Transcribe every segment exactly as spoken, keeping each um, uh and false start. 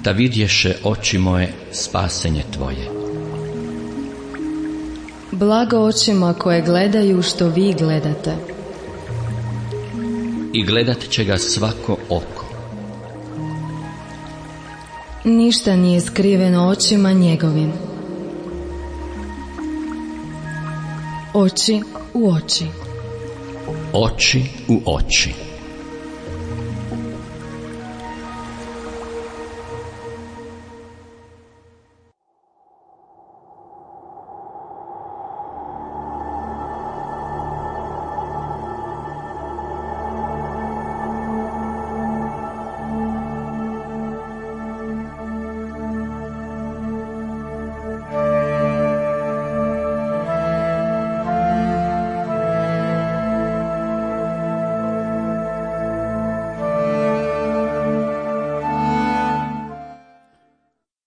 da vidješe oči moje spasenje tvoje. Blago očima koje gledaju što vi gledate. I gledat će ga svako oko. Ništa nije skriveno očima njegovim. Oči u oči. Oči u oči.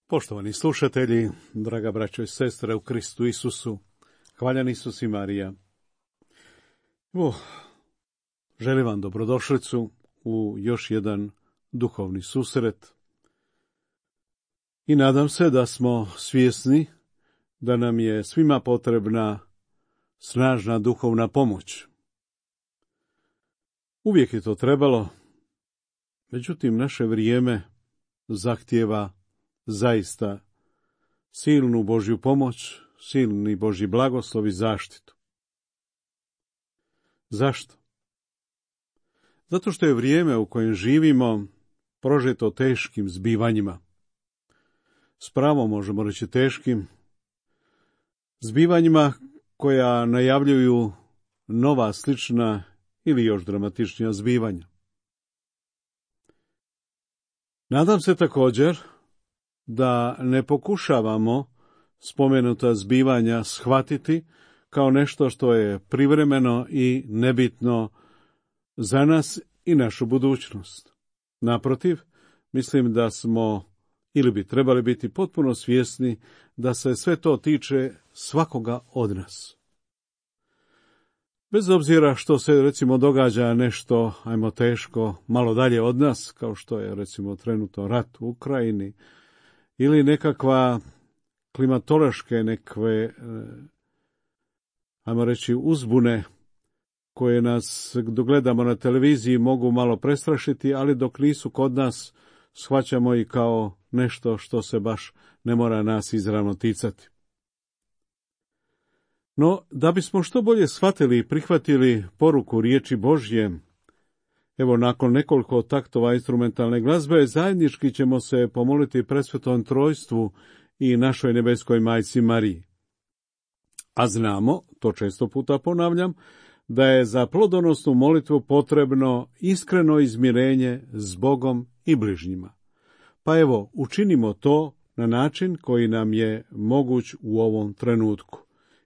Poštovani slušatelji, draga braćo i sestre u Kristu Isusu, hvaljen Isus i Marija. Evo, želim vam dobrodošlicu u još jedan duhovni susret i nadam se da smo svjesni da nam je svima potrebna snažna duhovna pomoć. Uvijek je to trebalo, međutim naše vrijeme zahtijeva zaista silnu Božju pomoć, silni Božji blagoslov i zaštitu. Zašto? Zato što je vrijeme u kojem živimo prožeto teškim zbivanjima. S pravom možemo reći teškim zbivanjima koja najavljuju nova, slična ili još dramatičnija zbivanja. Nadam se također da ne pokušavamo spomenuta zbivanja shvatiti kao nešto što je privremeno i nebitno za nas i našu budućnost. Naprotiv, mislim da smo ili bi trebali biti potpuno svjesni da se sve to tiče svakoga od nas. Bez obzira što se recimo događa nešto, ajmo teško, malo dalje od nas, kao što je recimo trenutno rat u Ukrajini, ili nekakva klimatološke nekve, ajmo reći, uzbune koje nas, dok gledamo na televiziji, mogu malo prestrašiti, ali dok nisu kod nas, shvaćamo i kao nešto što se baš ne mora nas izravno ticati. No, da bismo što bolje shvatili i prihvatili poruku riječi Božje, evo, nakon nekoliko taktova instrumentalne glazbe, zajednički ćemo se pomoliti Presvetom Trojstvu i našoj nebeskoj majci Mariji. A znamo, to često puta ponavljam, da je za plodonosnu molitvu potrebno iskreno izmirenje s Bogom i bližnjima. Pa evo, učinimo to na način koji nam je moguć u ovom trenutku.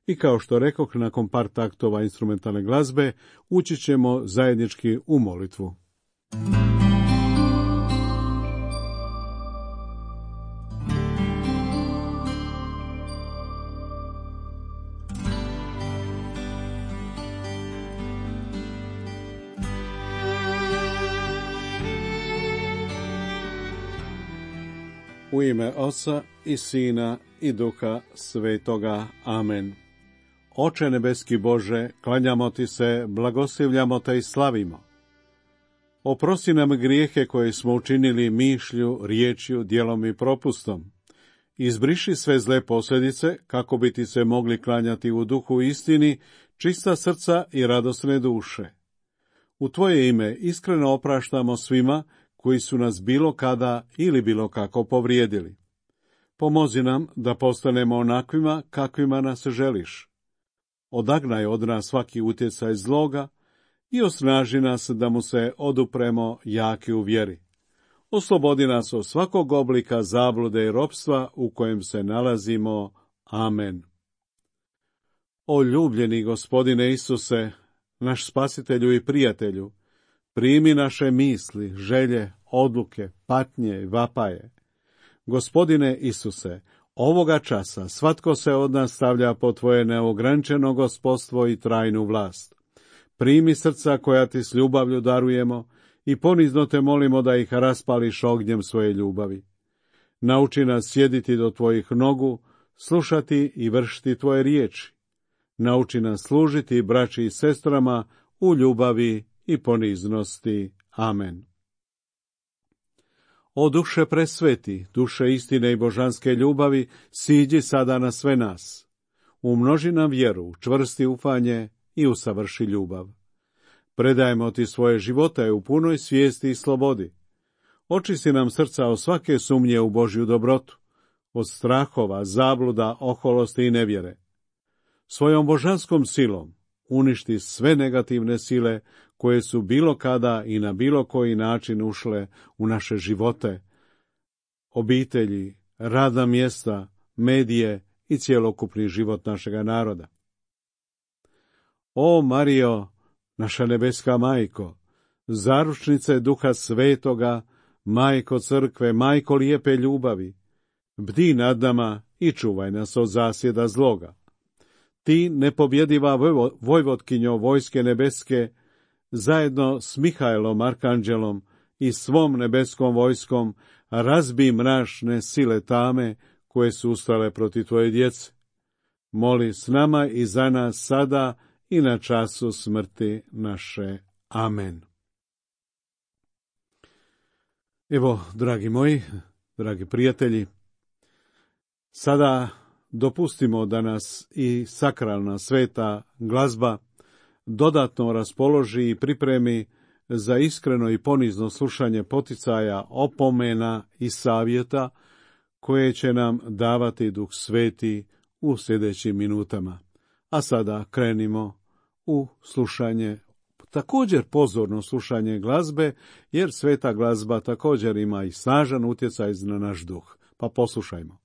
I kao što rekoh, nakon par taktova instrumentalne glazbe, ući ćemo zajednički u molitvu. U ime Oca i Sina i Duha Svetoga. Amen. Oče nebeski Bože, klanjamo ti se, blagoslivljamo te i slavimo. Oprosti nam grijehe koje smo učinili mišlju, riječju, djelom i propustom. Izbriši sve zle posljedice, kako bi ti se mogli klanjati u duhu istini, čista srca i radosne duše. U tvoje ime iskreno opraštamo svima koji su nas bilo kada ili bilo kako povrijedili. Pomozi nam da postanemo onakvima kakvima nas želiš. Odagnaj od nas svaki utjecaj zloga i osnaži nas da mu se odupremo jaki u vjeri. Oslobodi nas od svakog oblika zablude i ropstva u kojem se nalazimo. Amen. O ljubljeni Gospodine Isuse, naš spasitelju i prijatelju, primi naše misli, želje, odluke, patnje i vapaje. Gospodine Isuse, ovoga časa svatko se od nas stavlja pod tvoje neograničeno gospodstvo i trajnu vlast. Primi srca koja ti s ljubavlju darujemo i ponizno te molimo da ih raspališ ognjem svoje ljubavi. Nauči nas sjediti do tvojih nogu, slušati i vršiti tvoje riječi. Nauči nas služiti braći i sestrama u ljubavi i poniznosti. Amen. O duše presveti, duše istine i božanske ljubavi, siđi sada na sve nas. Umnoži nam vjeru, čvrsti ufanje i usavrši ljubav. Predajemo ti svoje živote u punoj svijesti i slobodi. Očisti nam srca od svake sumnje u Božju dobrotu, od strahova, zabluda, oholosti i nevjere. Svojom božanskom silom uništi sve negativne sile koje su bilo kada i na bilo koji način ušle u naše živote, obitelji, radna mjesta, medije i cjelokupni život našega naroda. O Marijo, naša nebeska majko, zaručnice Duha Svetoga, majko crkve, majko lijepe ljubavi, bdi nad nama i čuvaj nas od zasjeda zloga. Ti, nepobjediva vojvotkinjo vojske nebeske, zajedno s Mihajlom arkanđelom i svom nebeskom vojskom, razbi mračne sile tame koje su ustale protiv tvoje djece. Moli s nama i za nas sada i na času smrti naše. Amen. Evo, dragi moji, dragi prijatelji, sada dopustimo da nas i sakralna sveta glazba dodatno raspoloži i pripremi za iskreno i ponizno slušanje poticaja, opomena i savjeta koje će nam davati Duh Sveti u sljedećim minutama. A sada krenimo u slušanje, također pozorno slušanje glazbe, jer sveta glazba također ima i snažan utjecaj na naš duh. Pa poslušajmo.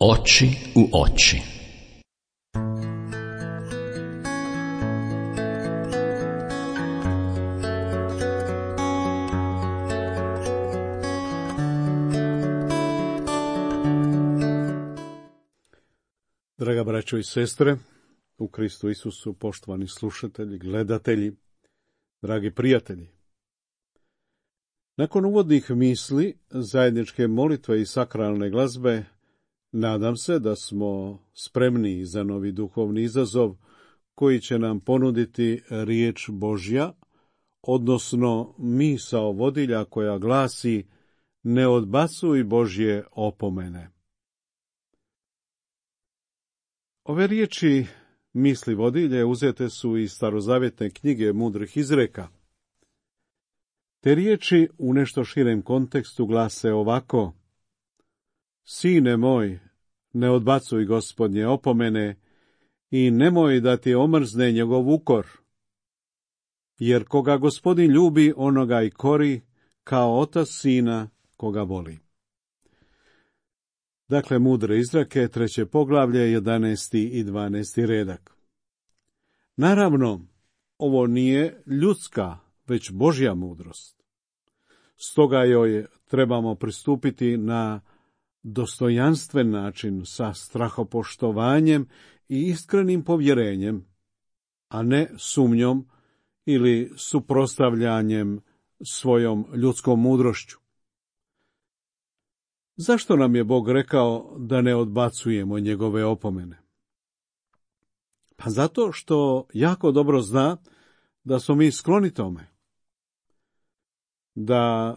Oči u oči. Draga braćo i sestre, u Kristu Isusu, poštovani slušatelji, gledatelji, dragi prijatelji. Nakon uvodnih misli, zajedničke molitve i sakralne glazbe, nadam se da smo spremni za novi duhovni izazov koji će nam ponuditi riječ Božja, odnosno misao vodilja koja glasi: ne odbacuj Božje opomene. Ove riječi misli vodilje uzete su iz starozavjetne knjige mudrih izreka. Te riječi u nešto širem kontekstu glase ovako: Sine moj, ne odbacuj Gospodnje opomene i nemoj da ti omrzne njegov ukor, jer koga Gospodin ljubi, onoga i kori, kao otac sina koga voli. Dakle, mudre izreke, treće poglavlje, jedanaesti i dvanaesti redak. Naravno, ovo nije ljudska, već Božja mudrost. Stoga joj trebamo pristupiti na dostojanstven način, sa strahopoštovanjem i iskrenim povjerenjem, a ne sumnjom ili suprotstavljanjem svojom ljudskom mudrošću. Zašto nam je Bog rekao da ne odbacujemo njegove opomene? Pa zato što jako dobro zna da smo mi skloni tome. Da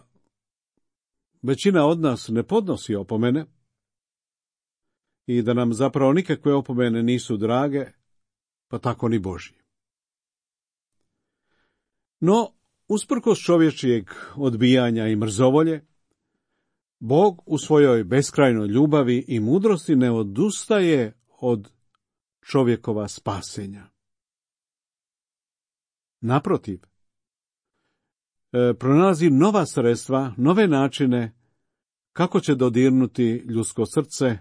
većina od nas ne podnosi opomene i da nam zapravo nikakve opomene nisu drage, pa tako ni Božje. No, usprkos čovječijeg odbijanja i mrzovolje, Bog u svojoj beskrajnoj ljubavi i mudrosti ne odustaje od čovjekova spasenja. Naprotiv, e, pronalazi nova sredstva, nove načine kako će dodirnuti ljudsko srce,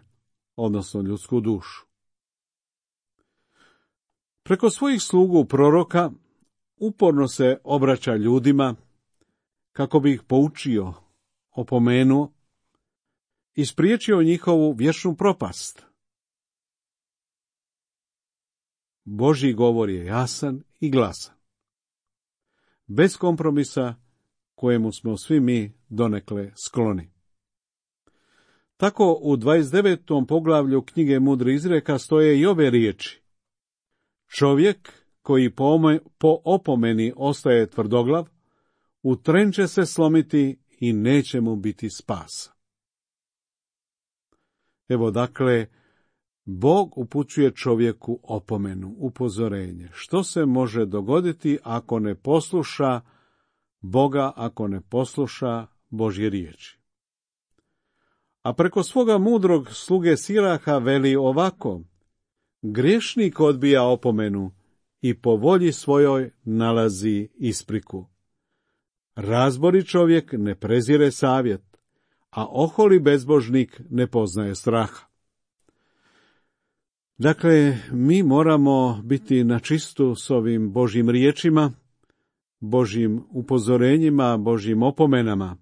odnosno ljudsku dušu. Preko svojih slugu proroka uporno se obraća ljudima kako bi ih poučio, opomenuo i spriječio njihovu vječnu propast. Božji govor je jasan i glasan, bez kompromisa kojemu smo svi mi donekle skloni. Tako u dvadeset devetom poglavlju knjige mudrih izreka stoje i ove riječi: Čovjek koji po, po opomeni ostaje tvrdoglav, u tren će se slomiti i neće mu biti spasa. Evo dakle, Bog upućuje čovjeku opomenu, upozorenje. Što se može dogoditi ako ne posluša Boga, ako ne posluša Božje riječi? A preko svoga mudrog sluge Siraha veli ovako: Griješnik odbija opomenu i po volji svojoj nalazi ispriku. Razbori čovjek ne prezire savjet, a oholi bezbožnik ne poznaje straha. Dakle, mi moramo biti na čistu s ovim Božjim riječima, Božjim upozorenjima, Božjim opomenama.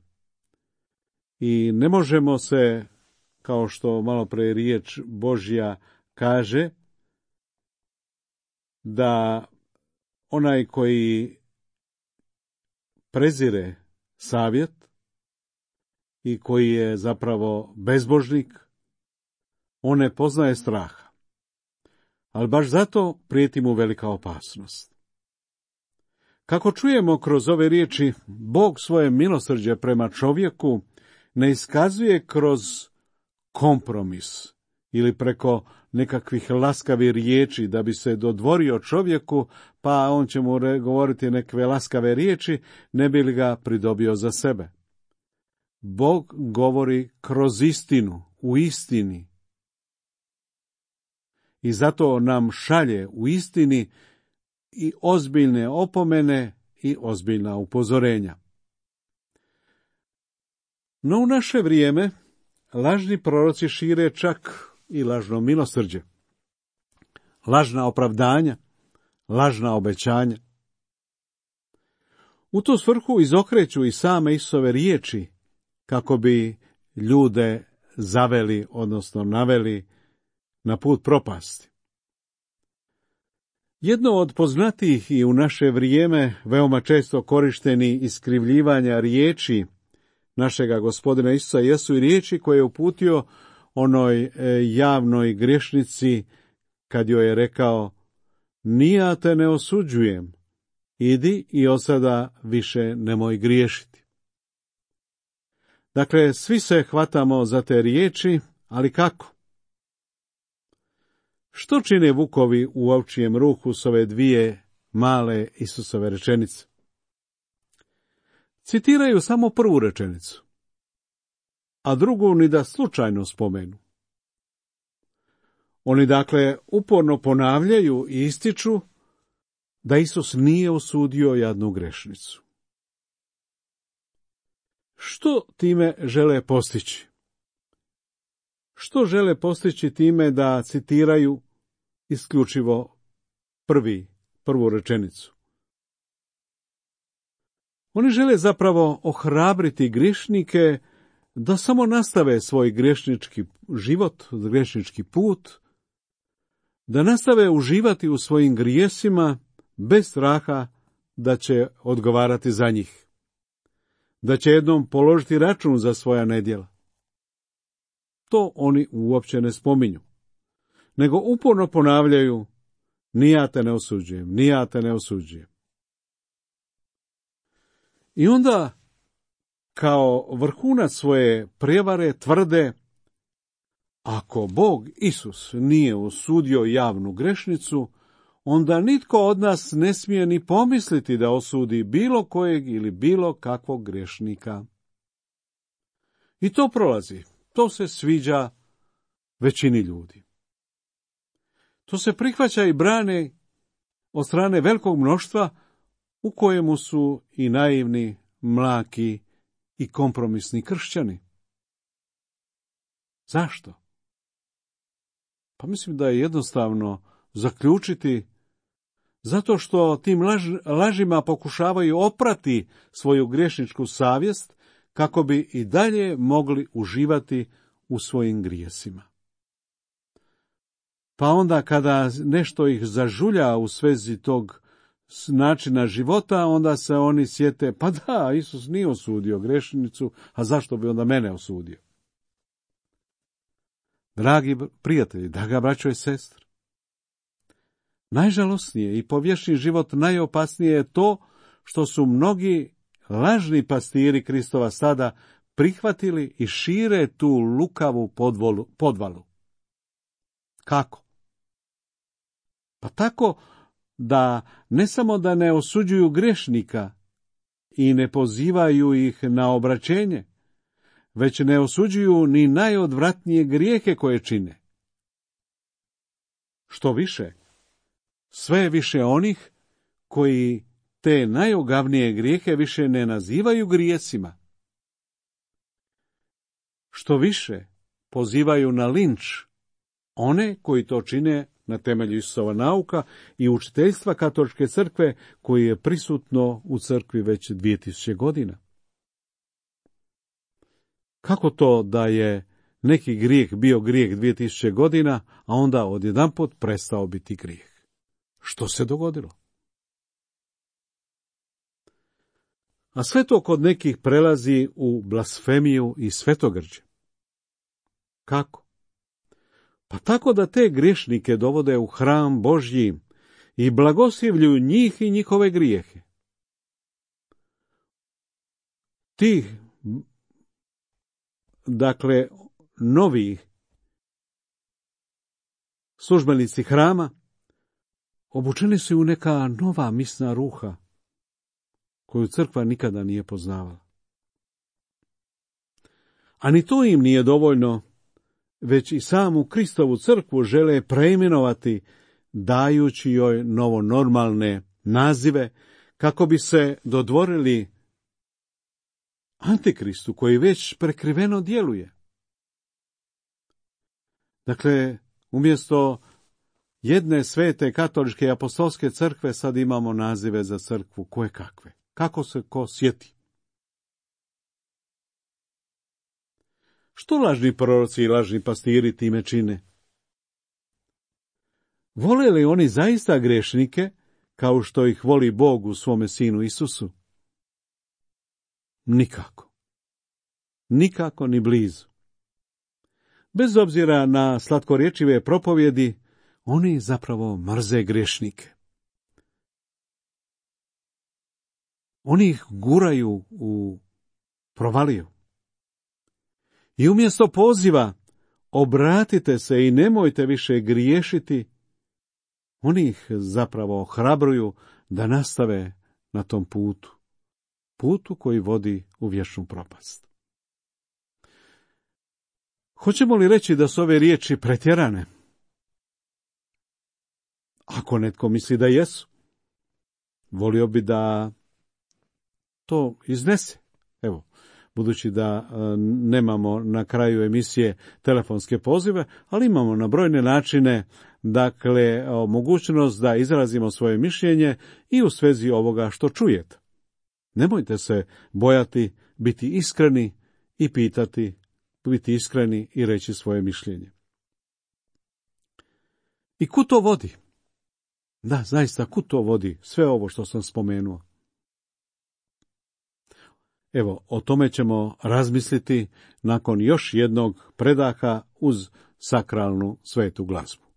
I ne možemo se, kao što malo pre riječ Božja kaže, da onaj koji prezire savjet i koji je zapravo bezbožnik, on ne poznaje straha. Ali baš zato prijeti mu velika opasnost. Kako čujemo kroz ove riječi, Bog svoje milosrđe prema čovjeku ne iskazuje kroz kompromis ili preko nekakvih laskavih riječi da bi se dodvorio čovjeku, pa on će mu govoriti neke laskave riječi, ne bi li ga pridobio za sebe. Bog govori kroz istinu, u istini. I zato nam šalje u istini i ozbiljne opomene i ozbiljna upozorenja. No u naše vrijeme lažni proroci šire čak i lažno milosrđe, lažna opravdanja, lažna obećanja. U tu svrhu izokreću i same Isusove riječi kako bi ljude zaveli, odnosno naveli na put propasti. Jedno od poznatijih i u naše vrijeme veoma često korišteni iskrivljivanja riječi našega Gospodina Isusa jesu i riječi koje je uputio onoj javnoj griješnici kad joj je rekao: ni ja te ne osuđujem, idi i od sada više nemoj griješiti. Dakle, svi se hvatamo za te riječi, ali kako? Što čine vukovi u ovčijem ruhu s ove dvije male Isusove rečenice? Citiraju samo prvu rečenicu, a drugu ni da slučajno spomenu. Oni dakle uporno ponavljaju i ističu da Isus nije osudio jadnu grešnicu. Što time žele postići? Što žele postići time da citiraju isključivo prvi, prvu rečenicu? Oni žele zapravo ohrabriti grešnike da samo nastave svoj grešnički život, grešnički put, da nastave uživati u svojim grijesima bez straha da će odgovarati za njih, da će jednom položiti račun za svoja nedjela. To oni uopće ne spominju, nego uporno ponavljaju: ni ja te ne osuđujem, ni ja te ne osuđujem. I onda, kao vrhunac svoje prijevare, tvrde: ako Bog Isus nije osudio javnu grešnicu, onda nitko od nas ne smije ni pomisliti da osudi bilo kojeg ili bilo kakvog grešnika. I to prolazi, to se sviđa većini ljudi. To se prihvaća i brane od strane velikog mnoštva, u kojemu su i naivni, mlaki i kompromisni kršćani. Zašto? Pa mislim da je jednostavno zaključiti zato što tim laž, lažima pokušavaju oprati svoju grešničku savjest kako bi i dalje mogli uživati u svojim grijesima. Pa onda kada nešto ih zažulja u svezi tog načina života, onda se oni sjete: pa da, Isus nije osudio grešnicu, a zašto bi onda mene osudio? Dragi prijatelji, draga braćo i sestre, najžalosnije i po vječni život najopasnije je to što su mnogi lažni pastiri Kristova sada prihvatili i šire tu lukavu podvolu, podvalu. Kako? Pa tako da ne samo da ne osuđuju grešnika i ne pozivaju ih na obraćenje, već ne osuđuju ni najodvratnije grijehe koje čine. Što više, sve je više onih koji te najogavnije grijehe više ne nazivaju grijesima. Što više, pozivaju na linč one koji to čine na temelju Isusova nauka i učiteljstva Katoličke crkve, koji je prisutno u crkvi već dvije tisuće godina. Kako to da je neki grijeh bio grijeh dvije tisuće godina, a onda odjedanput prestao biti grijeh? Što se dogodilo? A sve to kod nekih prelazi u blasfemiju i svetogrđe. Kako? Pa tako da te griješnike dovode u hram Božji i blagoslivljuju njih i njihove grijehe. Ti, dakle, novi službenici hrama obučeni su u neka nova misna ruha koju crkva nikada nije poznavala. A ni to im nije dovoljno, već i samu Kristovu crkvu žele preimenovati, dajući joj novonormalne nazive, kako bi se dodvorili Antikristu koji već prekriveno djeluje. Dakle, umjesto jedne svete katoličke i apostolske crkve sad imamo nazive za crkvu koje kakve. Kako se ko sjeti. Što lažni proroci i lažni pastiri time čine? Vole li oni zaista grešnike kao što ih voli Bog u svome Sinu Isusu? Nikako. Nikako ni blizu. Bez obzira na slatkorječive propovjedi, oni zapravo mrze grešnike. Oni ih guraju u provaliju. I umjesto poziva, obratite se i nemojte više griješiti, oni ih zapravo ohrabruju da nastave na tom putu, putu koji vodi u vječnu propast. Hoćemo li reći da su ove riječi pretjerane? Ako netko misli da jesu, volio bi da to iznese. Evo, budući da e, nemamo na kraju emisije telefonske pozive, ali imamo na brojne načine, dakle, mogućnost da izrazimo svoje mišljenje i u svezi ovoga što čujete. Nemojte se bojati biti iskreni i pitati, biti iskreni i reći svoje mišljenje. I kud to vodi? Da, zaista, kud to vodi sve ovo što sam spomenuo? Evo, o tome ćemo razmisliti nakon još jednog predaha uz sakralnu svetu glazbu.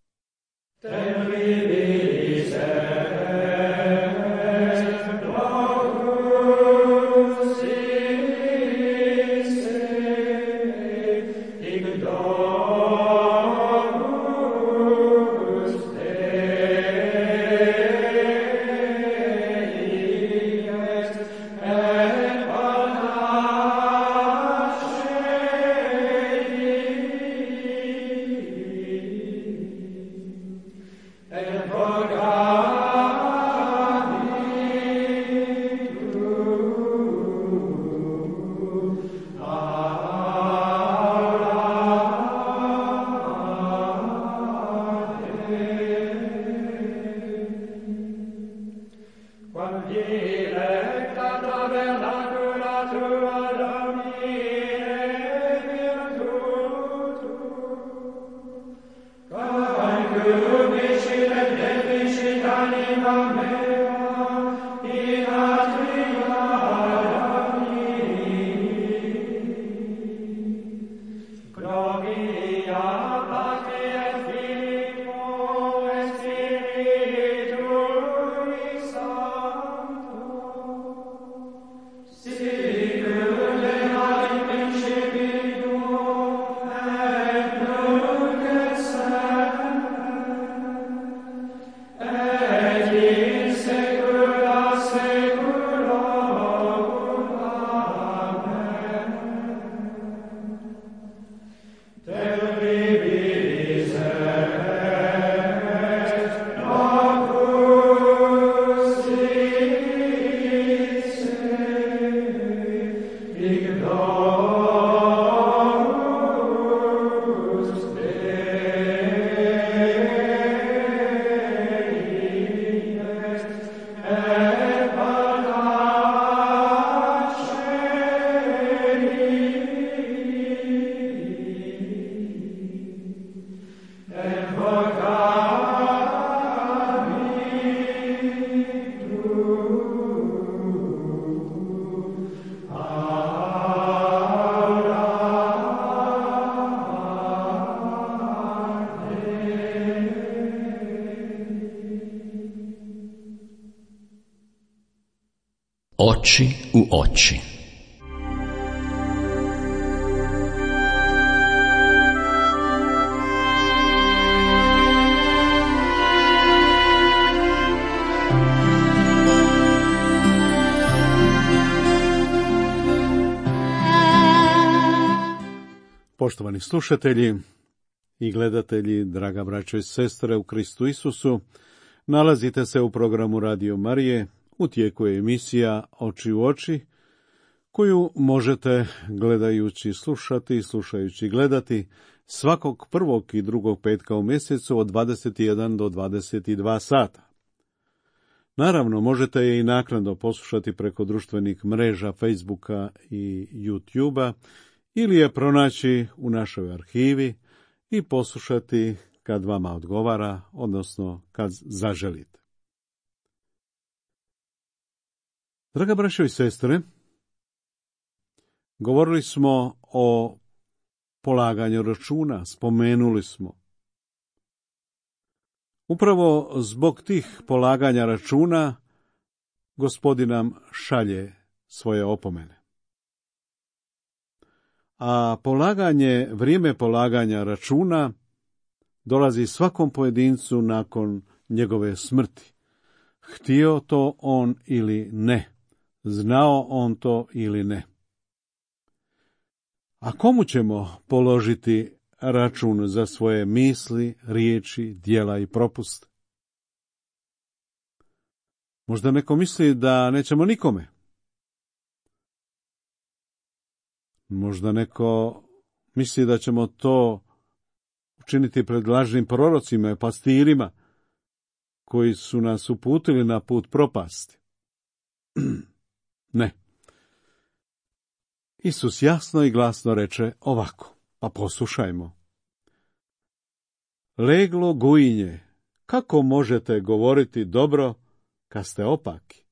Oči u oči. Poštovani slušatelji i gledatelji, draga braćo i sestre u Kristu Isusu, nalazite se u programu Radio Marije. U tijeku je emisija Oči u oči, koju možete gledajući slušati i slušajući gledati svakog prvog i drugog petka u mjesecu od dvadeset jedan do dvadeset dva sata. Naravno, možete je i naknadno poslušati preko društvenih mreža Facebooka i YouTubea ili je pronaći u našoj arhivi i poslušati kad vama odgovara, odnosno kad zaželite. Draga braćo i sestre, govorili smo o polaganju računa, spomenuli smo. Upravo zbog tih polaganja računa Gospodin nam šalje svoje opomene. a polaganje, vrijeme polaganja računa dolazi svakom pojedincu nakon njegove smrti. Htio to on ili ne, znao on to ili ne. A komu ćemo položiti račun za svoje misli, riječi, djela i propuste? Možda neko misli da nećemo nikome. Možda neko misli da ćemo to učiniti pred lažnim prorocima i pastirima koji su nas uputili na put propasti. Ne. Isus jasno i glasno reče ovako, pa poslušajmo. Leglo gujinje, kako možete govoriti dobro kad ste opaki?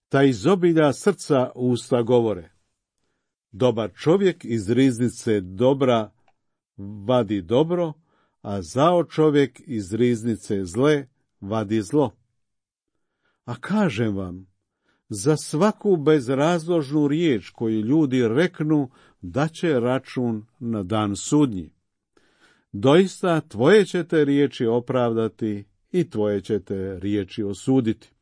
Ta iz obilja srca usta govore. Dobar čovjek iz riznice dobra vadi dobro, a zao čovjek iz riznice zle vadi zlo. A kažem vam, za svaku bezrazložnu riječ koju ljudi reknu, daće račun na dan sudnji. Doista tvoje ćete riječi opravdati i tvoje ćete riječi osuditi.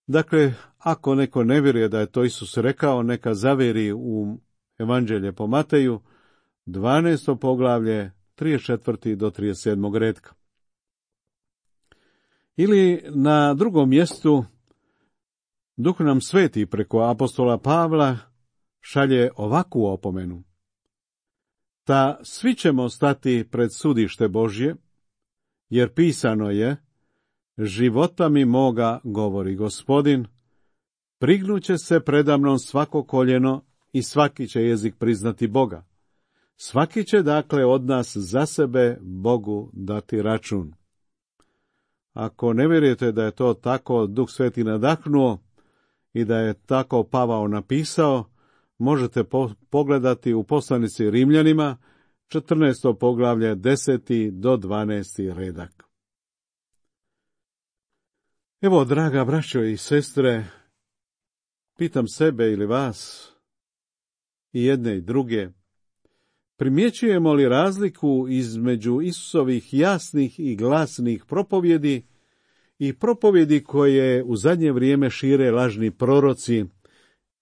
Dakle, ako neko ne vjeruje da je to Isus rekao, neka zavjeri u Evanđelje po Mateju, dvanaesto poglavlje, trideset četvrti do trideset sedmog redka. Ili na drugom mjestu, Duh nam sveti preko apostola Pavla šalje ovakvu opomenu. Ta svi ćemo stati pred sudište Božje, jer pisano je, života mi moga, govori Gospodin, prignuće se predamnom svako koljeno i svaki će jezik priznati Boga. Svaki će dakle od nas za sebe Bogu dati račun. Ako ne vjerujete da je to tako Duh Sveti nadahnuo i da je tako Pavao napisao, možete po- pogledati u poslanici Rimljanima, četrnaesto poglavlje, deseti do dvanaesti redak. Evo, draga braćo i sestre, pitam sebe ili vas, i jedne i druge, primjećujemo li razliku između Isusovih jasnih i glasnih propovjedi i propovjedi koje u zadnje vrijeme šire lažni proroci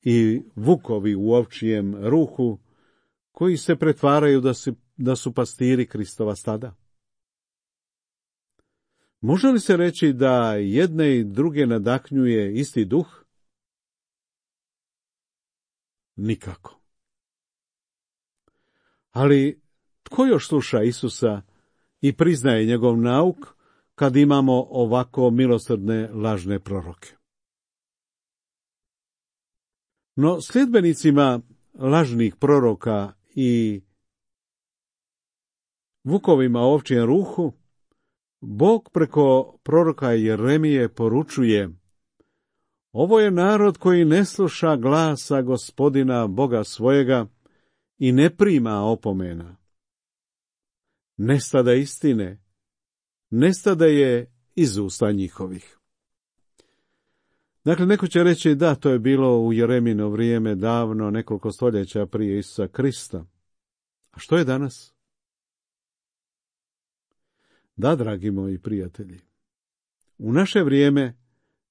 i vukovi u ovčijem ruhu, koji se pretvaraju da su, da su pastiri Kristova stada? Može li se reći da jedne i druge nadahnjuje isti duh? Nikako. Ali tko još sluša Isusa i priznaje njegov nauk kad imamo ovako milosrdne lažne proroke? No, sljedbenicima lažnih proroka i vukovima u ovčijem ruhu, Bog preko proroka Jeremije poručuje: ovo je narod koji ne sluša glasa Gospodina Boga svojega i ne prima opomena. Nestade istine, nestade je iz usta njihovih. Dakle, neko će reći da, to je bilo u Jeremino vrijeme, davno, nekoliko stoljeća prije Isusa Krista. A što je danas? Da, dragi moji prijatelji, u naše vrijeme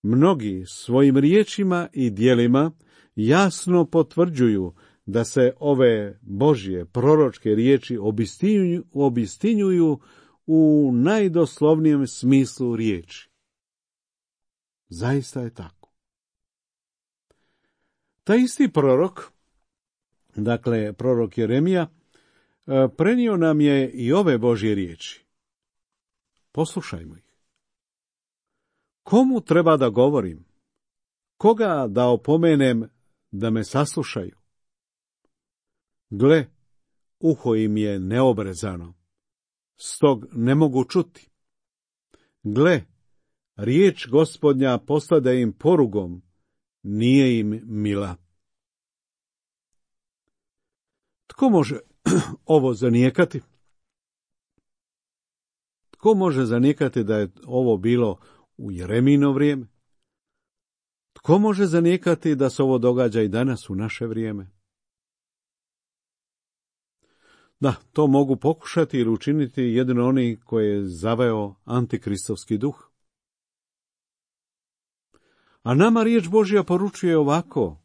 mnogi svojim riječima i djelima jasno potvrđuju da se ove Božje proročke riječi obistinjuju, obistinjuju u najdoslovnijem smislu riječi. Zaista je tako. Taj isti prorok, dakle prorok Jeremija, prenio nam je i ove Božje riječi. Poslušajmo ih. Komu treba da govorim? Koga da opomenem da me saslušaju? Gle, uho im je neobrezano, stog ne mogu čuti. Gle, riječ Gospodnja postade im porugom, nije im mila. Tko može ovo zanijekati? Tko može zanijekati da je ovo bilo u Jeremino vrijeme? Tko može zanijekati da se ovo događa i danas u naše vrijeme? Da, to mogu pokušati ili učiniti jedino oni koje je zaveo antikristovski duh. A nama riječ Božja poručuje ovako: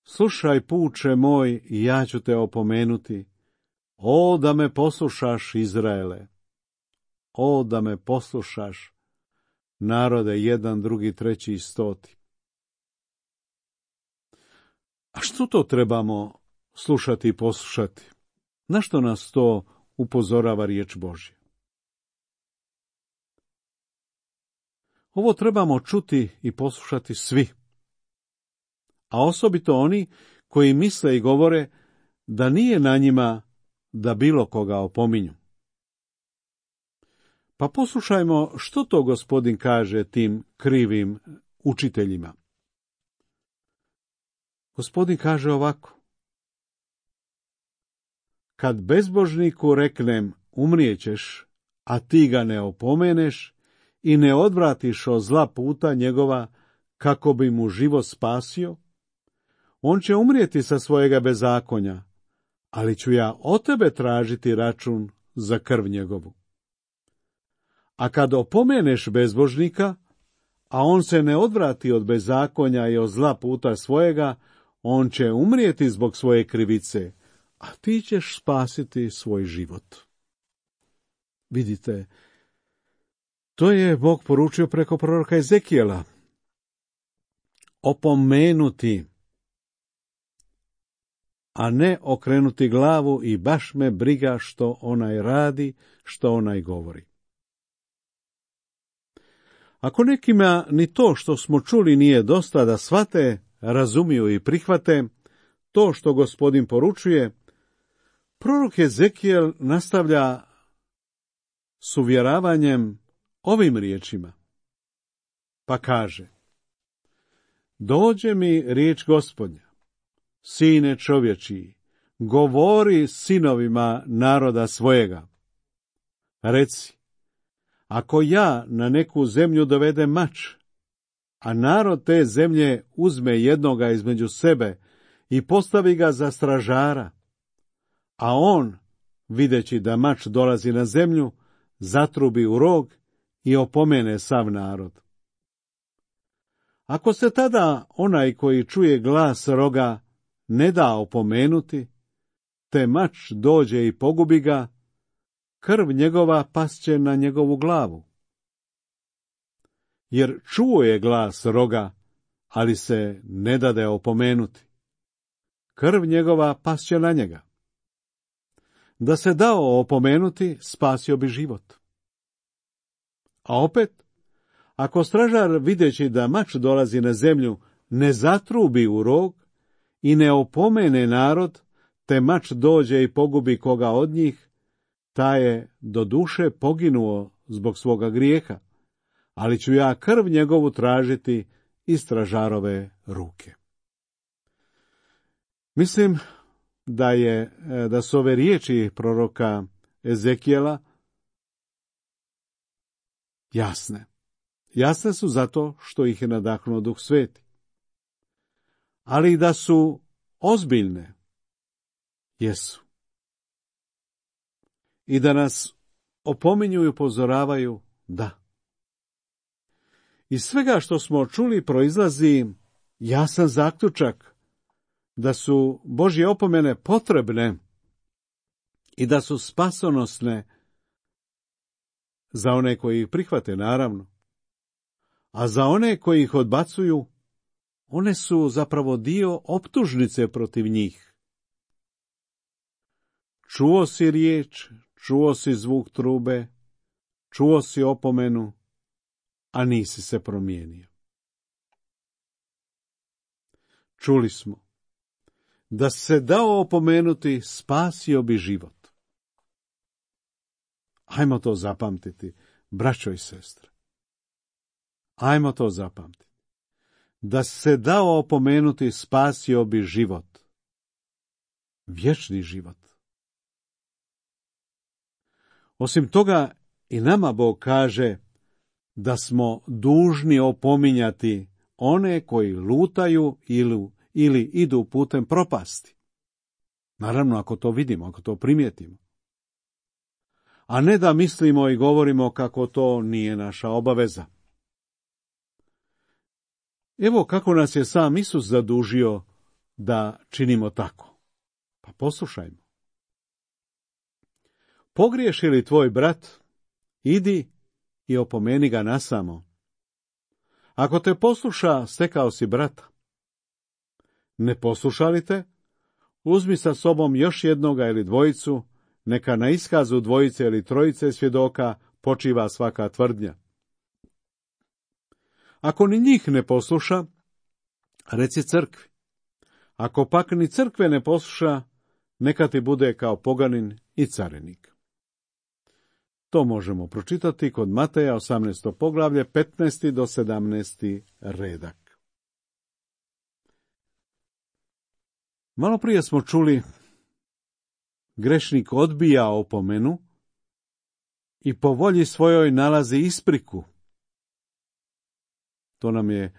slušaj, puče moj, i ja ću te opomenuti. O, da me poslušaš, Izraele. O, da me poslušaš, narode, jedan, drugi, treći i stoti. A što to trebamo slušati i poslušati? Na što nas to upozorava riječ Božja? Ovo trebamo čuti i poslušati svi, a osobito oni koji misle i govore da nije na njima da bilo koga opominju. Pa poslušajmo što to Gospodin kaže tim krivim učiteljima. Gospodin kaže ovako: kad bezbožniku reknem umrijećeš, a ti ga ne opomeneš i ne odvratiš od zla puta njegova kako bi mu život spasio, on će umrijeti sa svojega bezakonja, ali ću ja od tebe tražiti račun za krv njegovu. A kad opomeneš bezbožnika, a on se ne odvrati od bezakonja i od zla puta svojega, on će umrijeti zbog svoje krivice, a ti ćeš spasiti svoj život. Vidite, to je Bog poručio preko proroka Ezekijela. Opomenuti, a ne okrenuti glavu i baš me briga što onaj radi, što onaj govori. Ako nekima ni to što smo čuli nije dosta da shvate, razumiju i prihvate to što Gospodin poručuje, prorok Ezekijel nastavlja s uvjeravanjem ovim riječima. Pa kaže: dođe mi riječ Gospodnja, sine čovječiji, govori sinovima naroda svojega. Reci, ako ja na neku zemlju dovedem mač, a narod te zemlje uzme jednoga između sebe i postavi ga za stražara, a on, videći da mač dolazi na zemlju, zatrubi u rog i opomene sav narod. Ako se tada onaj koji čuje glas roga ne da opomenuti, te mač dođe i pogubi ga, krv njegova pasće na njegovu glavu. Jer čuo je glas roga, ali se ne dade opomenuti. Krv njegova pasće na njega. Da se dao opomenuti, spasio bi život. A opet, ako stražar, videći da mač dolazi na zemlju, ne zatrubi u rog i ne opomene narod, te mač dođe i pogubi koga od njih, taj je do duše poginuo zbog svoga grijeha, ali ću ja krv njegovu tražiti iz stražarove ruke. Mislim da je da su ove riječi proroka Ezekijela jasne. Jasne su zato što ih je nadahnuo Duh Sveti. Ali i da su ozbiljne, jesu. I da nas opominju i upozoravaju, da. Iz svega što smo čuli proizlazi jasan zaključak da su Božje opomene potrebne i da su spasonosne za one koji ih prihvate, naravno. A za one koji ih odbacuju, one su zapravo dio optužnice protiv njih. Čuo si riječ, čuo si zvuk trube, čuo si opomenu, a nisi se promijenio. Čuli smo, da se dao opomenuti, spasio bi život. Ajmo to zapamtiti, braćo i sestre. Ajmo to zapamtiti. Da se dao opomenuti, spasio bi život. Vječni život. Osim toga, i nama Bog kaže da smo dužni opominjati one koji lutaju ili, ili idu putem propasti. Naravno, ako to vidimo, ako to primijetimo. A ne da mislimo i govorimo kako to nije naša obaveza. Evo kako nas je sam Isus zadužio da činimo tako. Pa poslušajmo. Pogriješi li tvoj brat, idi i opomeni ga nasamo. Ako te posluša, stekao si brata. Ne posluša li te, uzmi sa sobom još jednoga ili dvojicu, neka na iskazu dvojice ili trojice svjedoka počiva svaka tvrdnja. Ako ni njih ne posluša, reci crkvi. Ako pak ni crkve ne posluša, neka ti bude kao poganin i carinik. To možemo pročitati kod Mateja osamnaesto poglavlje, petnaesti do sedamnaesti redak. Malo prije smo čuli, grešnik odbija opomenu i po volji svojoj nalazi ispriku. To nam je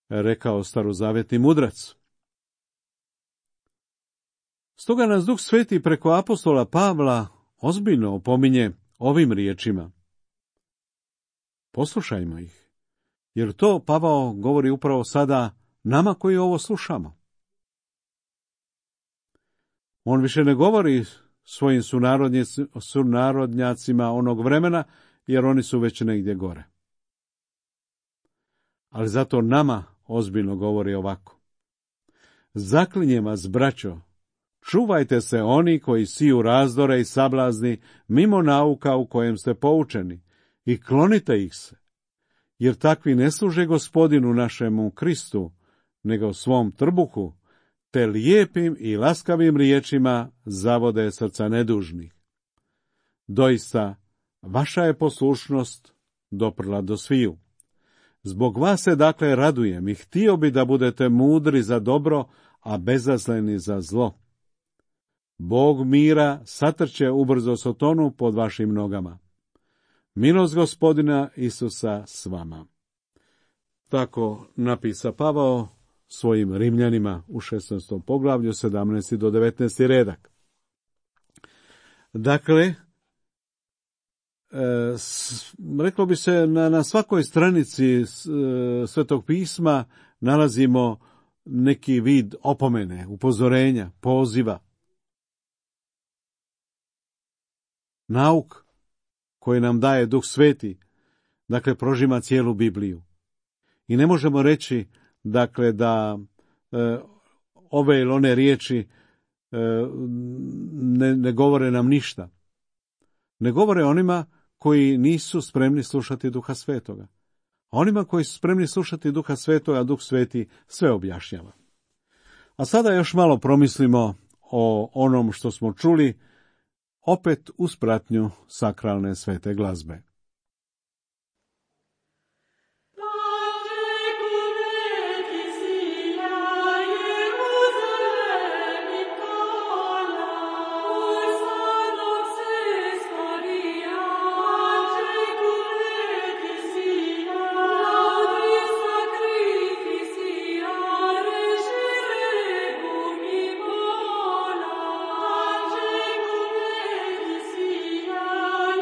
rekao starozavjetni mudrac. Stoga nas Duh Sveti preko apostola Pavla ozbiljno opominje ovim riječima. Poslušajmo ih, jer to Pavao govori upravo sada nama koji ovo slušamo. On više ne govori svojim sunarodnjacima onog vremena, jer oni su već negdje gore. Ali zato nama ozbiljno govori ovako. Zaklinjem vas, braćo, čuvajte se oni koji siju razdore i sablazni mimo nauka u kojem ste poučeni i klonite ih se, jer takvi ne služe Gospodinu našemu Kristu, nego svom trbuhu, te lijepim i laskavim riječima zavode srca nedužnih. Doista, vaša je poslušnost doprla do sviju. Zbog vas se dakle radujem i htio bi da budete mudri za dobro, a bezazleni za zlo. Bog mira satrće ubrzo Sotonu pod vašim nogama. Milost Gospodina Isusa s vama. Tako napisa Pavao svojim Rimljanima u šesnaestom poglavlju, sedamnaesti do devetnaesti redak. Dakle, e, s, reklo bi se na, na svakoj stranici s, e, Svetog pisma nalazimo neki vid opomene, upozorenja, poziva. Nauk koji nam daje Duh Sveti, dakle, prožima cijelu Bibliju. I ne možemo reći, dakle, da e, ove ili one riječi e, ne, ne govore nam ništa. Ne govore onima koji nisu spremni slušati Duha Svetoga. A onima koji su spremni slušati Duha Svetoga, Duh Sveti sve objašnjava. A sada još malo promislimo o onom što smo čuli, opet uz pratnju sakralne svete glazbe.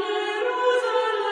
Jerusalem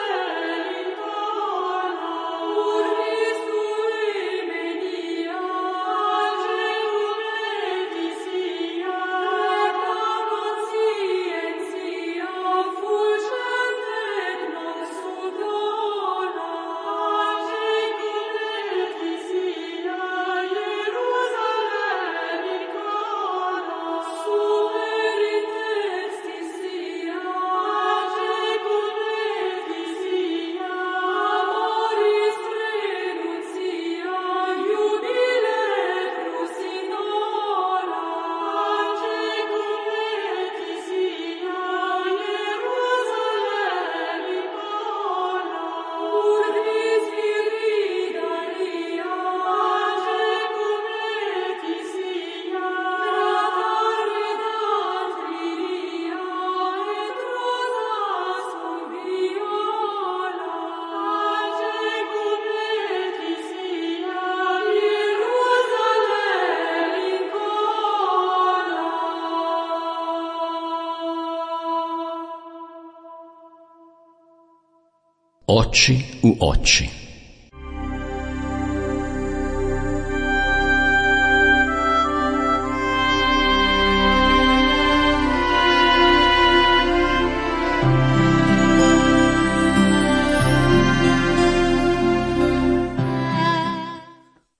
Oči u oči.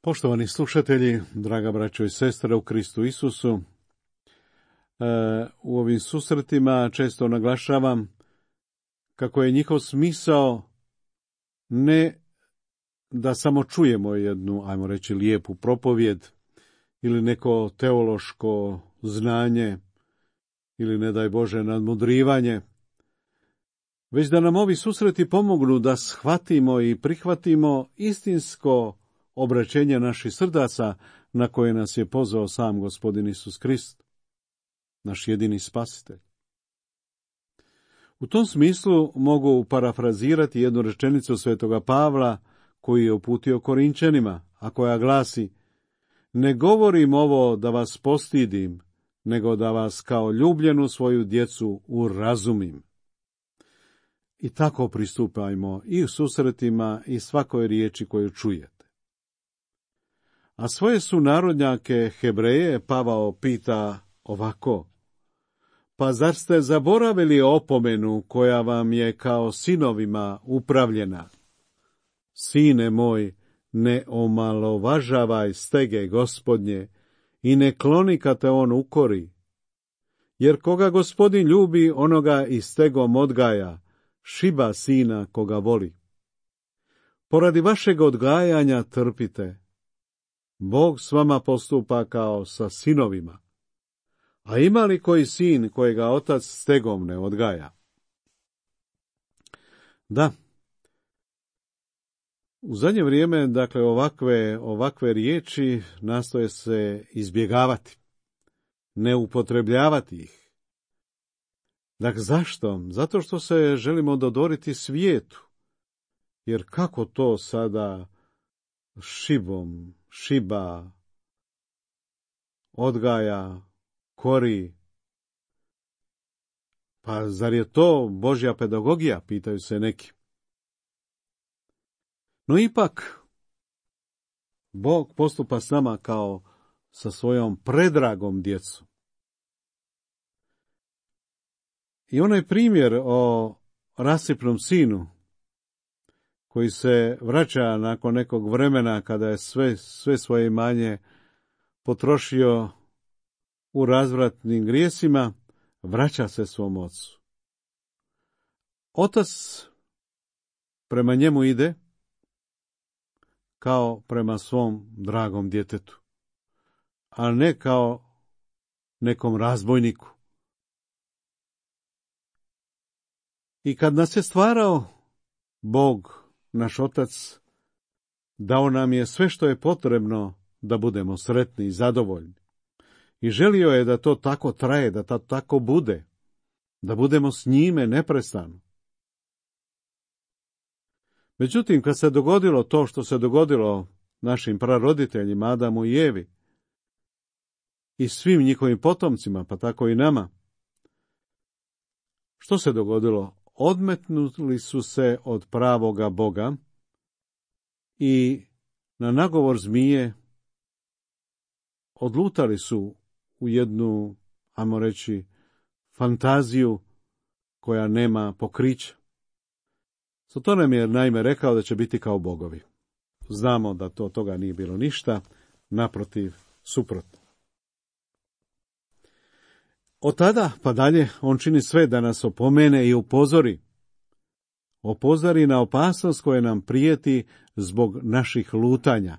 Poštovani slušatelji, draga braćo i sestre u Kristu Isusu, u ovim susretima često naglašavam kako je njihov smisao ne da samo čujemo jednu, ajmo reći, lijepu propovjed ili neko teološko znanje ili, ne daj Bože, nadmudrivanje, već da nam ovi susreti pomognu da shvatimo i prihvatimo istinsko obraćenje naših srdaca na koje nas je pozvao sam Gospodin Isus Krist, naš jedini spasitelj. U tom smislu mogu parafrazirati jednu rečenicu svetoga Pavla koju je uputio Korinčanima, a koja glasi: ne govorim ovo da vas postidim, nego da vas kao ljubljenu svoju djecu urazumim. I tako pristupajmo i u susretima i svakoj riječi koju čujete. A svoje sunarodnjake Hebreje Pavao pita ovako: pa zar ste zaboravili opomenu koja vam je kao sinovima upravljena? Sine moj, ne omalovažavaj stege Gospodnje i ne kloni kad te on ukori. Jer koga Gospodin ljubi, onoga i stegom odgaja, šiba sina koga voli. Poradi vašeg odgajanja trpite. Bog s vama postupa kao sa sinovima. A ima li koji sin kojega otac stegom ne odgaja? Da, u zadnje vrijeme, dakle, ovakve, ovakve riječi nastoje se izbjegavati, ne upotrebljavati ih. Dakle, zašto? Zato što se želimo dodvoriti svijetu. Jer kako to sada šibom, šiba, odgaja, kori? Pa zar je to Božja pedagogija, pitaju se neki. No ipak, Bog postupa s nama kao sa svojom predragom djecom. I onaj primjer o rasipnom sinu, koji se vraća nakon nekog vremena kada je sve, sve svoje imanje potrošio u razvratnim grijesima, vraća se svom ocu. Otac prema njemu ide kao prema svom dragom djetetu, a ne kao nekom razbojniku. I kad nas je stvarao, Bog, naš Otac, dao nam je sve što je potrebno da budemo sretni i zadovoljni. I želio je da to tako traje, da to tako bude, da budemo s njime neprestano. Međutim, kad se dogodilo to što se dogodilo našim praroditeljima, Adamu i Evi, i svim njihovim potomcima, pa tako i nama, što se dogodilo? Odmetnuli su se od pravoga Boga i na nagovor zmije odlutali su u jednu, ajmo reći, fantaziju koja nema pokrića. Zato nam je naime rekao da će biti kao bogovi. Znamo da to toga nije bilo ništa, naprotiv, suprotno. Od tada pa dalje on čini sve da nas opomene i upozori. Opozori na opasnost koja nam prijeti zbog naših lutanja.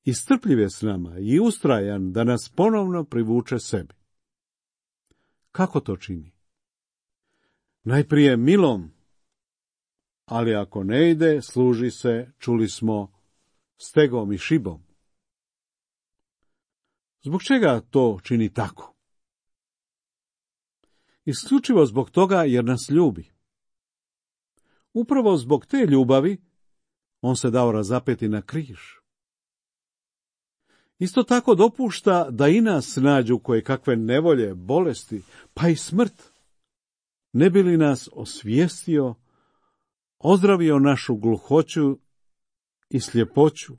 I strpljiv je s nama i ustrajan da nas ponovno privuče sebi. Kako to čini? Najprije milom, ali ako ne ide, služi se, čuli smo, stegom i šibom. Zbog čega to čini tako? Isključivo zbog toga jer nas ljubi. Upravo zbog te ljubavi on se dao razapeti na križ. Isto tako dopušta da i nas nađu koje kakve nevolje, bolesti, pa i smrt, ne bi li nas osvijestio ozdravio našu gluhoću i sljepoću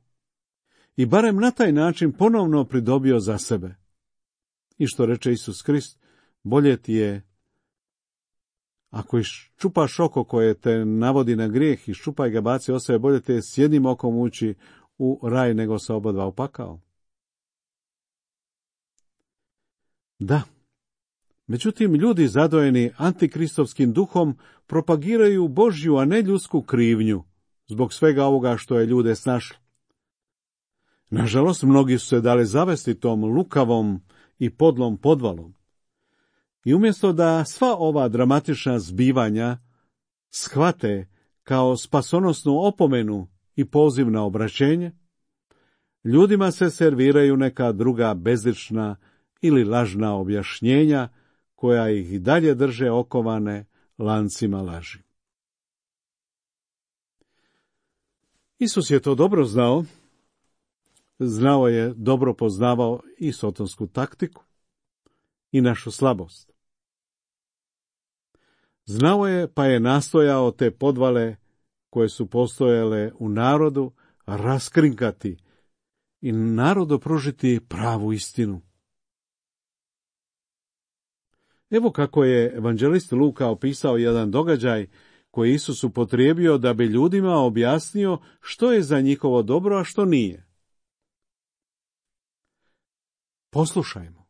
i barem na taj način ponovno pridobio za sebe. I što reče Isus Krist, bolje ti je, ako iščupaš oko koje te navodi na grijeh, iščupaj ga, baci od sebe, bolje te s jednim okom ući u raj nego sa obadva u pakao. Da, međutim, ljudi zadojeni antikristovskim duhom propagiraju Božju, a ne ljudsku krivnju, zbog svega ovoga što je ljude snašlo. Nažalost, mnogi su se dali zavesti tom lukavom i podlom podvalom. I umjesto da sva ova dramatična zbivanja shvate kao spasonosnu opomenu i poziv na obraćenje, ljudima se serviraju neka druga bezlična ili lažna objašnjenja koja ih i dalje drže okovane lancima laži. Isus je to dobro znao, znao je, dobro poznavao i sotonsku taktiku i našu slabost. Znao je, pa je nastojao te podvale koje su postojale u narodu raskrinkati i narodu pružiti pravu istinu. Evo kako je evanđelist Luka opisao jedan događaj koji Isus upotrijebio da bi ljudima objasnio što je za njihovo dobro, a što nije. Poslušajmo.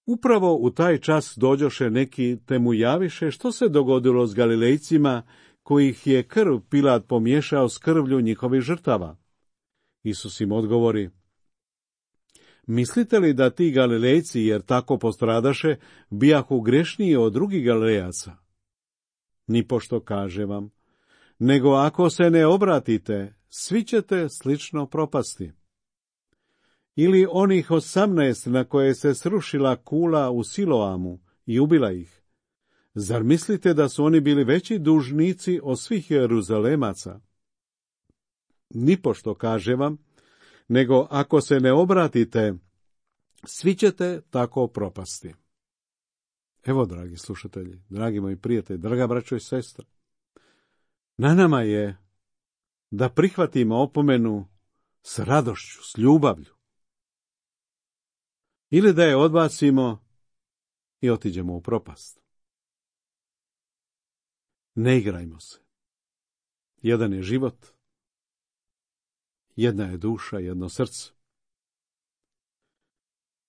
Upravo u taj čas dođoše neki te mu javiše što se dogodilo s Galilejcima kojih je krv Pilat pomiješao s krvlju njihovih žrtava. Isus im odgovori: mislite li da ti Galilejci, jer tako postradaše, bijahu grešniji od drugih Galilejaca? Nipošto, kaže vam, nego ako se ne obratite, svi ćete slično propasti. Ili onih osamnaest na koje se srušila kula u Siloamu i ubila ih. Zar mislite da su oni bili veći dužnici od svih Jeruzalemaca? Nipošto, kaže vam, nego ako se ne obratite, svi ćete tako propasti. Evo, dragi slušatelji, dragi moji prijatelji, draga braćo i sestre, na nama je da prihvatimo opomenu s radošću, s ljubavlju, ili da je odbacimo i otiđemo u propast. Ne igrajmo se. Jedan je život, jedna je duša, jedno srce.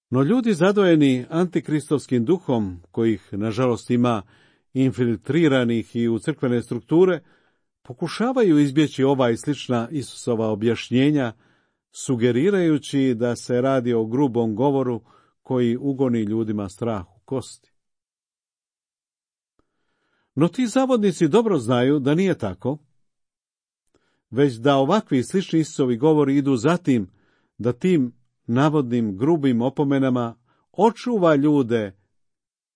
No ljudi zadojeni antikristovskim duhom, kojih nažalost ima infiltriranih i u crkvene strukture, pokušavaju izbjeći ova i slična Isusova objašnjenja, sugerirajući da se radi o grubom govoru koji ugoni ljudima strah u kosti. No ti zavodnici dobro znaju da nije tako, već da ovakvi slični Isusovi govori idu za tim da tim navodnim grubim opomenama očuva ljude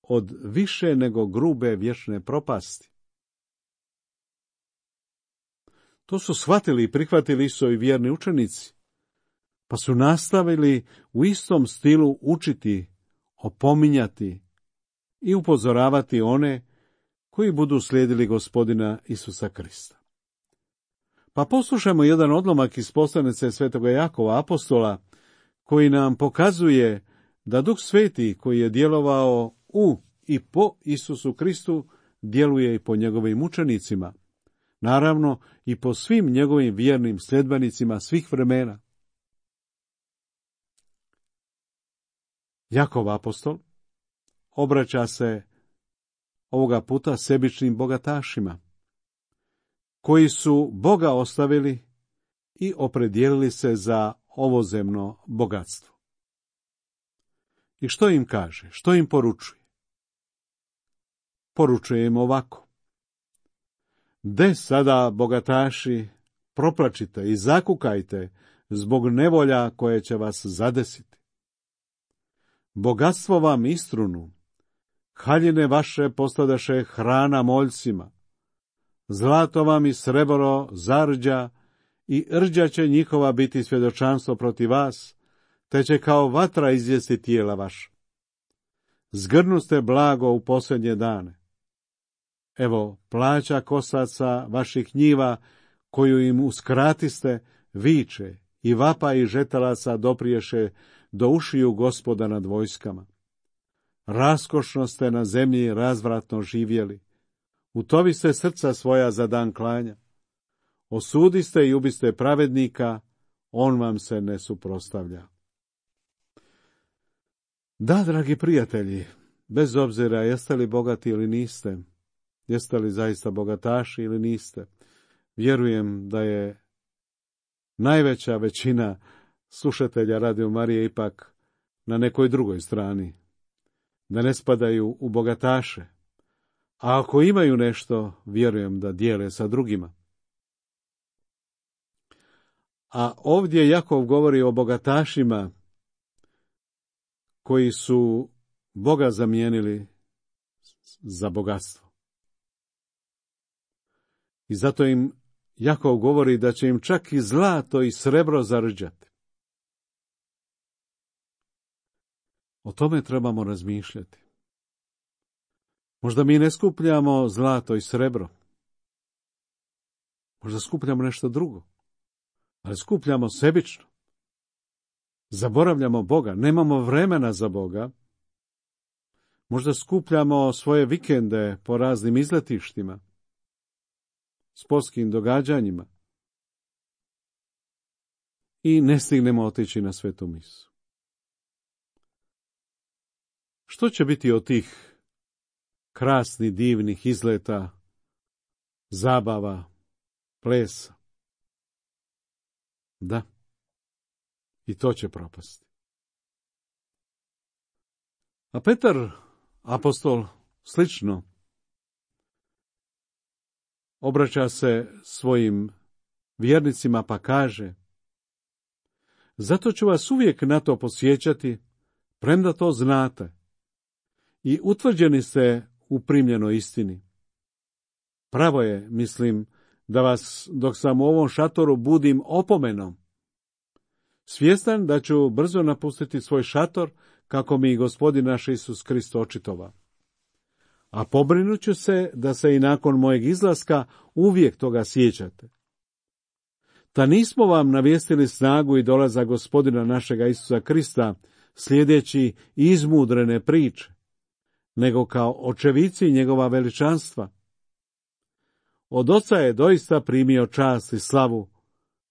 od više nego grube vječne propasti. To su shvatili i prihvatili Isusovi vjerni učenici, pa su nastavili u istom stilu učiti, opominjati i upozoravati one koji budu slijedili Gospodina Isusa Krista. Pa poslušajmo jedan odlomak iz poslanice svetoga Jakova apostola, koji nam pokazuje da Duh Sveti koji je djelovao u i po Isusu Kristu djeluje i po njegovim učenicima, naravno i po svim njegovim vjernim sljedbenicima svih vremena. Jakov apostol obraća se ovoga puta sebičnim bogatašima, koji su Boga ostavili i opredijelili se za ovozemno bogatstvo. I što im kaže? Što im poručuje? Poručuje im ovako: de sada, bogataši, proplačite i zakukajte zbog nevolja koje će vas zadesiti. Bogatstvo vam istrunu, haljine vaše postadaše hrana moljcima, zlato vam i srebro zarđa i rđa će njihova biti svjedočanstvo protiv vas, te će kao vatra izjesti tijela vaša. Zgrnuste blago u posljednje dane. Evo, plaća kosaca vaših njiva, koju im uskratiste, viče, i vapa i žetalaca dopriješe do ušiju Gospoda nad vojskama. Raskošno ste na zemlji razvratno živjeli. Utoviste srca svoja za dan klanja. Osudiste i ubiste pravednika, on vam se ne suprotstavlja. Da, dragi prijatelji, bez obzira jeste li bogati ili niste, jeste li zaista bogataši ili niste, vjerujem da je najveća većina slušatelja Radio Marije ipak na nekoj drugoj strani, da ne spadaju u bogataše, a ako imaju nešto, vjerujem da dijele sa drugima. A ovdje Jakov govori o bogatašima koji su Boga zamijenili za bogatstvo. I zato im Jakov govori da će im čak i zlato i srebro zarđati. O tome trebamo razmišljati. Možda mi ne skupljamo zlato i srebro. Možda skupljamo nešto drugo. Ali skupljamo sebično. Zaboravljamo Boga. Nemamo vremena za Boga. Možda skupljamo svoje vikende po raznim izletištima, sportskim događanjima i ne stignemo otići na svetu misu. Što će biti od tih krasnih, divnih izleta, zabava, plesa? Da, i to će propasti. A Petar, apostol, slično obraća se svojim vjernicima pa kaže: zato ću vas uvijek na to podsjećati, premda to znate, i utvrđeni ste u primljenoj istini. Pravo je, mislim, da vas, dok sam u ovom šatoru, budim opomenom. Svjestan da ću brzo napustiti svoj šator, kako mi Gospodin naš Isus Krist očitova. A pobrinut ću se da se i nakon mojeg izlaska uvijek toga sjećate. Ta nismo vam navijestili snagu i dolazak Gospodina našega Isusa Krista, slijedeći izmudrene priče, nego kao očevici njegova veličanstva. Od Oca je doista primio čast i slavu,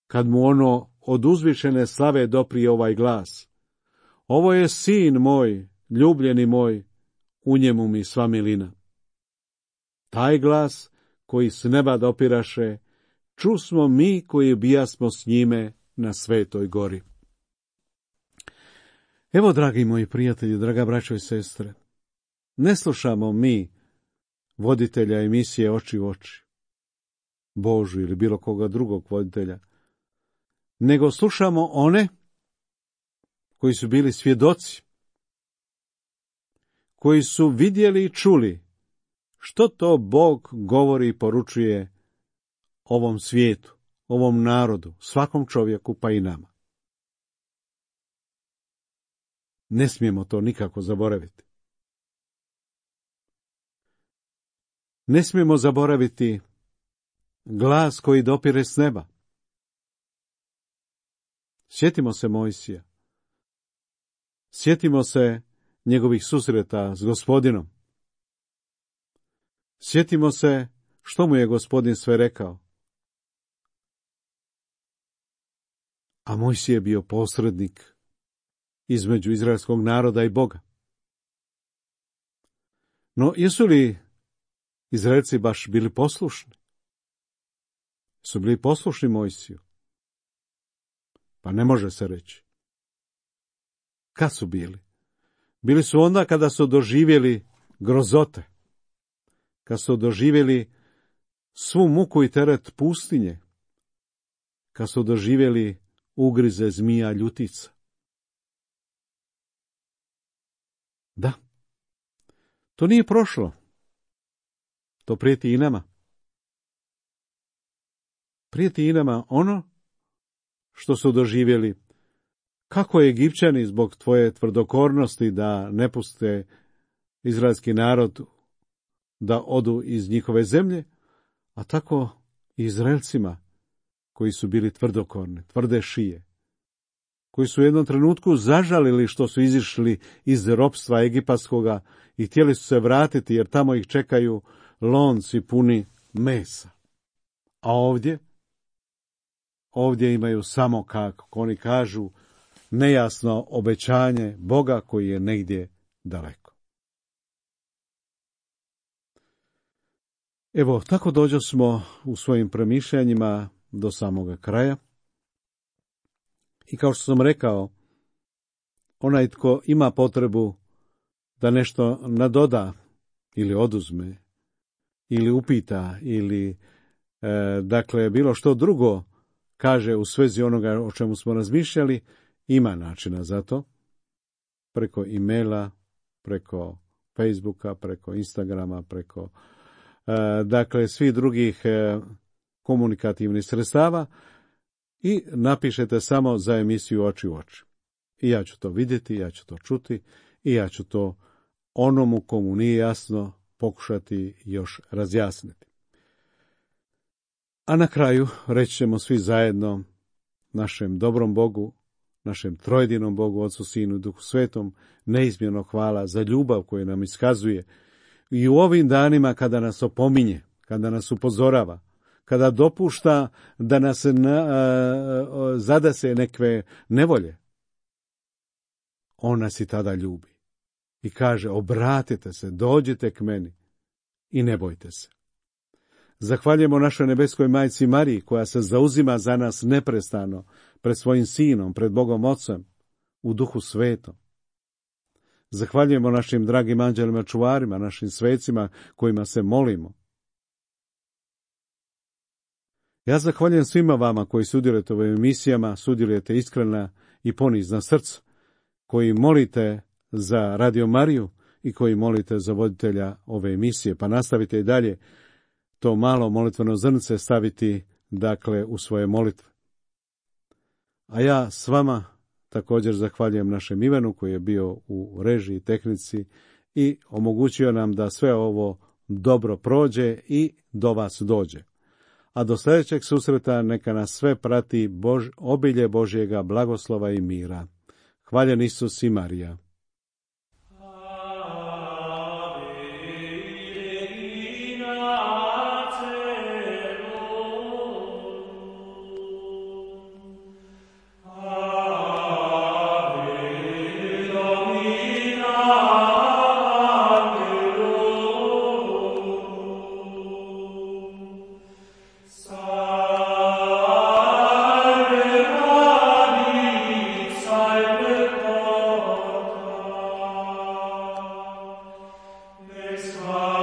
kad mu ono od uzvišene slave doprije ovaj glas: ovo je sin moj, ljubljeni moj, u njemu mi sva milina. Taj glas koji s neba dopiraše, čusmo mi koji bijasmo s njime na Svetoj gori. Evo, dragi moji prijatelji, draga braćo i sestre, ne slušamo mi voditelja emisije Oči u oči, Božu ili bilo koga drugog voditelja, nego slušamo one koji su bili svjedoci, koji su vidjeli i čuli što to Bog govori i poručuje ovom svijetu, ovom narodu, svakom čovjeku pa i nama. Ne smijemo to nikako zaboraviti. Ne smijemo zaboraviti glas koji dopire s neba. Sjetimo se Mojsija. Sjetimo se njegovih susreta s Gospodinom. Sjetimo se što mu je Gospodin sve rekao. A Mojsije je bio posrednik između izraelskog naroda i Boga. No, jesu li Izraelci baš bili poslušni? Su bili poslušni Mojsiju? Pa ne može se reći. Kad su bili? Bili su onda kada su doživjeli grozote, kad su doživjeli svu muku i teret pustinje, kad su doživjeli ugrize zmija ljutica. Da, to nije prošlo. To prijeti i nama. Prijeti i nama ono što su doživjeli. Kako Egipćani zbog tvoje tvrdokornosti da ne puste izraelski narod da odu iz njihove zemlje, a tako i Izraelcima koji su bili tvrdokorni, tvrde šije, koji su u jednom trenutku zažalili što su izišli iz ropstva egipatskoga i htjeli su se vratiti jer tamo ih čekaju lonci puni mesa. A ovdje? Ovdje imaju samo, kako oni kažu, nejasno obećanje Boga koji je negdje daleko. Evo, tako dođo smo u svojim premišljanjima do samoga kraja. I kao što sam rekao, onaj tko ima potrebu da nešto nadoda ili oduzme, ili upita, ili e, dakle bilo što drugo kaže u svezi onoga o čemu smo razmišljali, ima načina za to, preko e-maila, preko Facebooka, preko Instagrama, preko e, dakle svih drugih e, komunikativnih sredstava i napišete samo za emisiju Oči u oči. I ja ću to vidjeti, ja ću to čuti i ja ću to onomu komu nije jasno pokušati još razjasniti. A na kraju reći ćemo svi zajedno našem dobrom Bogu, našem trojedinom Bogu, Otcu, Sinu i Duhu Svetom, neizmjerno hvala za ljubav koju nam iskazuje i u ovim danima kada nas opominje, kada nas upozorava, kada dopušta da nas na, a, zadese nekve nevolje. On nas i tada ljubi i kaže: obratite se, dođite k meni i ne bojte se. Zahvaljujemo našoj nebeskoj majci Mariji koja se zauzima za nas neprestano pred svojim sinom, pred Bogom Ocem, u Duhu Svetom. Zahvaljujemo našim dragim anđelima čuvarima, našim svecima kojima se molimo. Ja zahvaljujem svima vama koji sudjelujete u ovim emisijama, sudjelujete iskrena i ponizna srca, koji molite za Radio Mariju i koji molite za voditelja ove emisije, pa nastavite i dalje to malo molitveno zrnce staviti, dakle, u svoje molitve. A ja s vama također zahvaljujem našem Ivanu koji je bio u režiji, tehnici i omogućio nam da sve ovo dobro prođe i do vas dođe. A do sljedećeg susreta neka nas sve prati Bož, obilje Božjega blagoslova i mira. Hvaljen Isus i Marija. Christ.